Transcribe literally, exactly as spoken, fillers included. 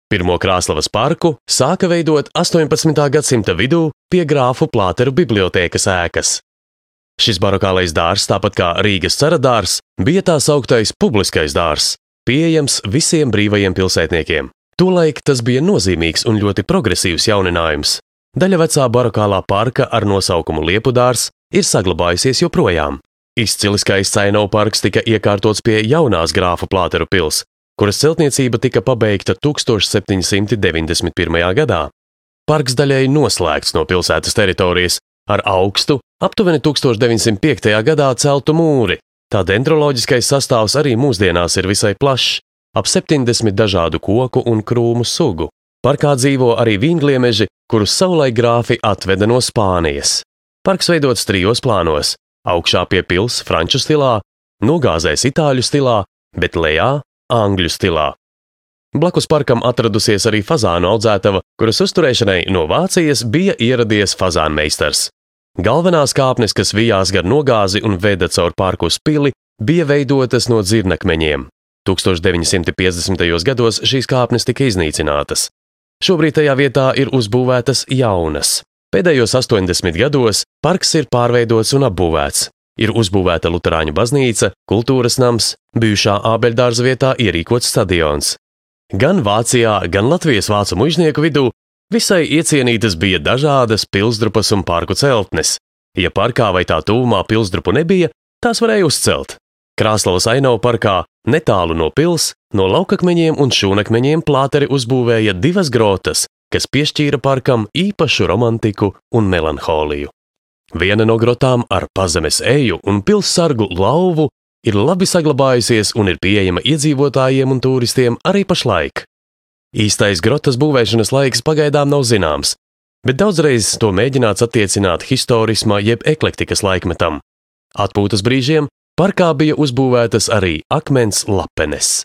Pirmo Krāslavas parku sāka veidot astoņpadsmitā gadsimta vidū pie grāfu Plāteru bibliotēkas ēkas. Šis barokālais dārzs, tāpat kā Rīgas cara dārzs, bija tā sauktais publiskais dārzs, pieejams visiem brīvajiem pilsētniekiem. Tolaik tas bija nozīmīgs un ļoti progresīvs jauninājums. Daļa vecā barokālā parka ar nosaukumu Liepu dārzs ir saglabājusies joprojām. Izcili skaists Ainava parks tika iekārtots pie jaunās grāfu Plāteru pils, kuras celtniecība tika pabeigta tūkstoš septiņi simti deviņdesmit pirmajā gadā. Parks daļēji noslēgts no pilsētas teritorijas ar augstu, aptuveni tūkstoš deviņsimt piektajā gadā celtu mūri. Tā dendroloģiskais sastāvs arī mūsdienās ir visai plašs, ap septiņdesmit dažādu koku un krūmu sugu. Parkā dzīvo arī vīngliemeži, kurus savulaik grāfi atveda no Spānijas. Parks veidots trijos plānos – augšā pie pils franču stilā, nogāzēs itāļu stilā, bet lejā angļu stilā. Blakus parkam atradusies arī fazānu audzētava, kuras uzturēšanai no Vācijas bija ieradies fazānmeistars. Galvenās kāpnes, kas vijās gar nogāzi un veda caur parku uz pili, bija veidotas no dzirnakmeņiem. tūkstoš deviņi simti piecdesmitajos gados šīs kāpnes tika iznīcinātas. Šobrīd tajā vietā ir uzbūvētas jaunas. Pēdējos astoņdesmit gados parks ir pārveidots un apbūvēts. Ir uzbūvēta luterāņu baznīca, kultūras nams, bijušā ābeļdārza vietā ierīkots stadions. Gan Vācijā, gan Latvijas vācu muižnieku vidū visai iecienītas bija dažādas pilsdrupas un parku celtnes. Ja parkā vai tā tuvumā pilsdrupu nebija, tās varēja uzcelt. Krāslavas Ainava parkā, netālu no pils, no laukakmeņiem un šūnakmeņiem Plāteri uzbūvēja divas grotas, kas piešķīra parkam īpašu romantiku un melanholiju. Viena no grotām ar pazemes eju un pilssargu lauvu ir labi saglabājusies un ir pieejama iedzīvotājiem un turistiem arī pašlaik. Īstais grotas būvēšanas laiks pagaidām nav zināms, bet daudzreiz to mēģināts attiecināt historisma jeb eklektikas laikmetam. Atpūtas brīžiem parkā bija uzbūvētas arī akmens lapenes.